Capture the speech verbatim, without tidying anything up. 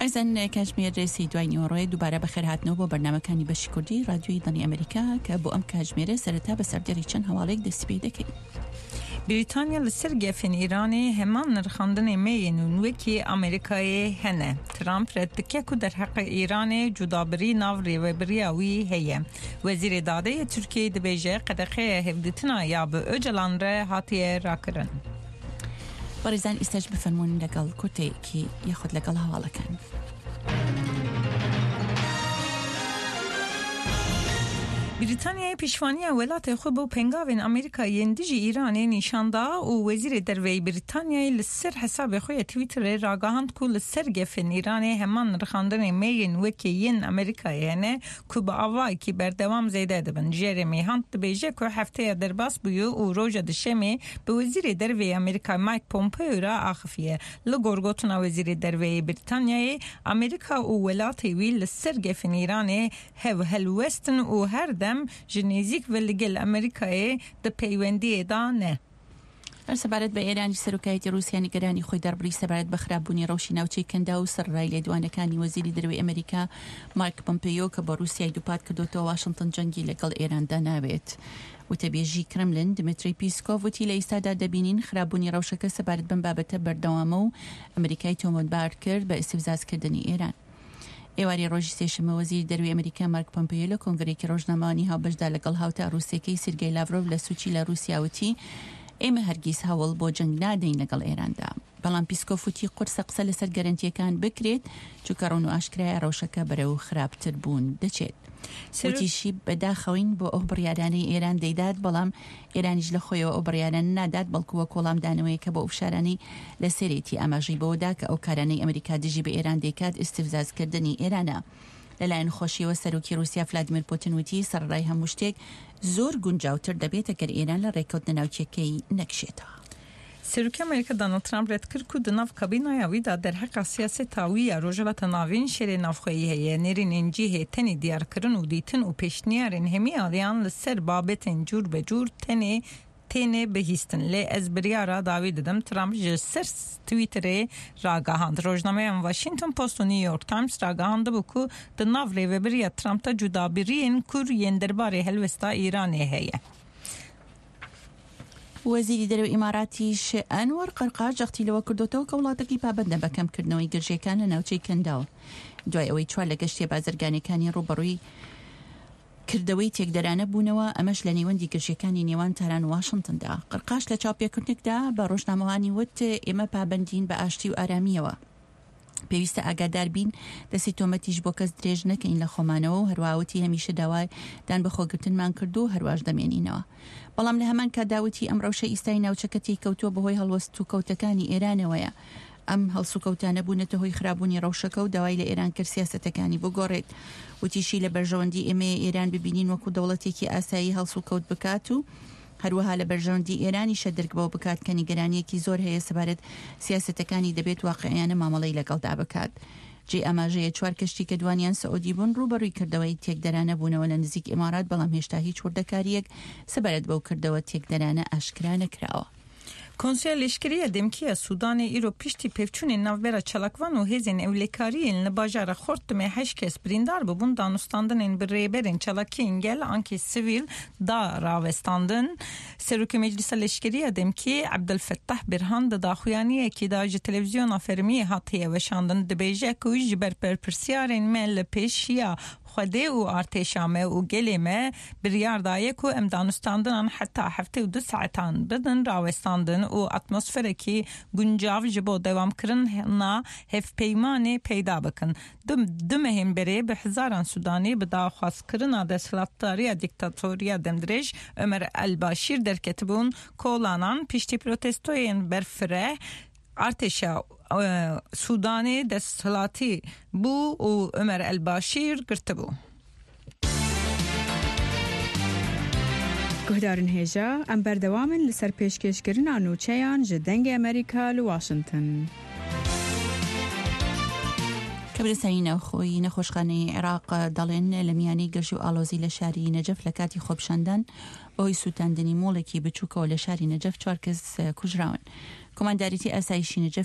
ئەزیزان کاتژمێر سێی دوای نیوەڕۆیە دووبارە بەخێرهاتنەوە بۆ بەرنامەکانی بەشی کوردی ڕادیۆی دەنگی ئەمریکا کە بۆ ئەم کاتژمێرە سەرەتا بە سەردێڕی چەند هەواڵێک دەستی پێ دەکەین. Brîtanya li ser gefên Îranê heman nirxandinên me yên wekî Amerîkayê hene. Trump red dike ku derheqê Îranê cudabirî nav rêveberiya wî heye. Wezîrê Dadê yê Tirkiyeyê dibêje qedexeya hevdîtina ya bi Öcalan re hatiye rakirin. بەڕێزان ئێستاش بفەرموون لەگەڵ کورتەیەکی یاخود لەگەڵ هەواڵەکان. Brîtanyayê piştevaniya welatê xwe bo pêngavên Amerîka yên dijî Îranê nîşan da û Wezîrê Derveyê Brîtanyayê li ser hesabê xwe yê Twitterê ragihand ku li ser gefên Îranê heman nirxandinên me yên wekî yên Amerîkayê hene ku bi awayekî berdewam zêde dibin. Jeremy Hunt dibêje ku hefteya derbas bûye û roja duşemê bi Wezîrê Derveyê Amerîka Mike Pompeo re axifiye. Li gor gotina Wezîrê Derveyê Brîtanyayê, Amerîka û welatê wî li ser gefên Îranê hev helwestin û her dem ji nêzîk ve li gel Amerîkayê di peywendiyê da ne. هەر سەبارەت بە ئێرانی سەرۆکایەتی ڕووسیا نیگەرانی خۆی دەربڕی سەبارەت بە خراپبوونی ڕەوشی ناوچەی کەندا و سەرڕای لێدوانەکانی وەزیری دەرەوەی ئەمریکا مارک پۆمپیۆ کە بە ڕووسیای دووپات کردوتەوە واشنگتن جەنگی لەگەڵ ئێراندا ناوێت. وتەبێژی کرملن دمیتری پیسکۆڤ وتی لە ئێستادا دەبینین خراپبوونی ڕەوشەکە سەبارەت بەم بابەتە بەردەوامە و ئەمریکای تۆمەتبار کرد بە ئیستفزازکردنی ئێران. ئێوارەی ڕۆژی سێشەممە وەزیری دەرەوەی ئەمریکا مارک پۆمپیۆ لە کۆنگرەیەکی ڕۆژنامەوانی هاوبەشدا لەگەڵ هاوتا ڕووسیەکەی سێرگەی لاڤرۆڤ لە سوچی لە ڕووسیا وتی ئێمە هەرگیز هەوڵ بۆ جەنگ نادەین لەگەڵ ئێراندا. بەڵام پیسکۆف وتی قورسە قسە لەسەر گەرەنتیەکان بکرێت چونکە ڕوون و ئاشکرایە ڕەوشەکە بەرەو خراپتر بوون دەچێت. وتیشی بەداخەوەین بۆ ئەو بڕیارانەی ئێران دەیدات، بەڵام ئێرانیش لە خۆیەوە ئەو بڕیارانە نادات، بەڵکو وەک وەڵامدانەوەیەکە بۆ ئەو فشارانەی لەسەرێتی. ئاماژەی بەوەدا کە ئەو کارانەی ئەمریکا دژی بە ئێران دەیکات ئیستفزازکردنی ئێرانە. لەلایەن خۆشیەوە سەرۆکی رووسیا فلادیمیر پوتین وتی سەرەڕای هەموو شتێک زۆر گونجاوتر دەبێت ئەگەر ئێران لە ڕێککەوتنە ناوکیەکەی نەکشێتەوە. Serokê Amerîka Donald Trump red kir ku di nav kabînaya wî de derheqa siyaseta wî ya Rojhilata Navîn şerê navxweyî heye. Nêrînên cihê tenê diyarkirin û dîtin û pêşniyarên hemî aliyan li ser babetên cûr be cûr tenê têne bihîstin. Lê ez biryara dawî didim. Trump ji ser Twitterê ragihand. Rojnameyan Washington Post û New York Times ragihandibû ku di nav rêveberiya Trump de cudabiriyên kur yên derbarê helwesta Îranê heye. وەزیری دەرەوەی ئیماراتیش ئەنوەر قەرقاش جەختی لەوە کردوتەوە کە وڵاتەکەی پابەندە بە کەمکردنەوەی گرژیەکان لە ناوچەی کەنداو دوای ئەوەی چوار لە گەشتیە بازرگانیەکانی ڕووبەڕووی کردەوەی تێکدەرانە بوونەوە، ئەمەش لە نێوەندی گرژیەکانی نێوان تاران و واشنگتندا. قەرقاش لە چاوپێکردنێکدا بە ڕۆژنامەوانی وت ئێمە پابەندین بە ئاشتی و ئارامیەوە، پێویستە ئاگادار بین دەستی تۆمەتیش بۆ کەس درێژ نەکەین لە خۆمانەوە و هەروەها وتی هەمیشە داوای دان بە خۆگرتنمان کردو و هەرواش دەمێنینەوە. بەڵام لە هەمان کاتدا وتی ئەم ڕەوشە ئیستای ناوچەکە تێکەوتووە بەهۆی هەڵوەست و کەوتەکانی ئێرانەوەیە. ئەم هەڵسوکەوتانە بوونەتە هۆی خراپبوونی ڕەوشەکە و داوای لە ئێران کرد سیاسەتەکانی بگۆڕێت. وتیشی لە بەرژەوەندی ئێمەیە ئێران ببینین وەکو دەوڵەتێکی ئاسایی هەڵسوکەوت بکات و هەروەها لە بەرژەوەندی ئێرانیشە درک بەوە بکات کە نیگەرانیەکی زۆر هەیە سەبارەت سیاسەتەکانی دەبێت واقعیانە مامەڵەی لەگەڵدا بکات. جێ ئاماژەیە چوار کەشتی کە دوانیان سعودی بوون ڕووبەڕووی کردەوەی تێکدەرانە بوونەوە لە نزیک ئیمارات، بەڵام هێشتا هیچ وردەکاریەک سەبارەت بەو کردەوە تێکدەرانە ئاشکرا نەکراوە. Konseya Leşkerî ya Demkî ya Sûdanê îro piştî pevçûnên navbera çalakvan û hêzên ewlekariyên li bajara Xortumê heşt kes birîndar bûbûn danûstandinên bi rêberên çalakiyên gel ankê sivîl da rawestandin. Serokê Meclisa Leşkerî ya Demkî Ebdulfettah Birhan di daxuyaniyekî da ji televîzyona fermiyê hatiye weşandin dibêje ku ji ber berpirsyarên me li pêşiya Xwedê û artêşa me û gelê me biryar daye ku em danûstandinan heta heftê û du saetan bidin rawestandin û atmosferekî guncav ji bo dewamkirina hevpeymanê peyda bikin. Du mehên berê bi hezaran Sudanî bi daxwazkirina desthilatdariya dîktatoriya demdirêj Ömer el-Başîr derketibûn kolanan piştî protestoyên berfireh artêşa Sudanê desthilatî bû û Ömer el-Başîr girtibû. Guhdarên hêja em berdewam in li ser pêşkêşkirina nûçeyan ji Dengê Amerîka li Washington. کەبرسانی ناوخۆی نەخۆشخانەی عێراق دەڵێن لە میانەی گرژی و ئالۆزی لە شاری نەجەف لە کاتی خۆپیشاندان بەهۆی سووتاندنی مۆڵێکی بچووکەوە لە شاری نەجەف چوار کەس کوژراون. کۆمانداریتی ئاسایشی نەجەف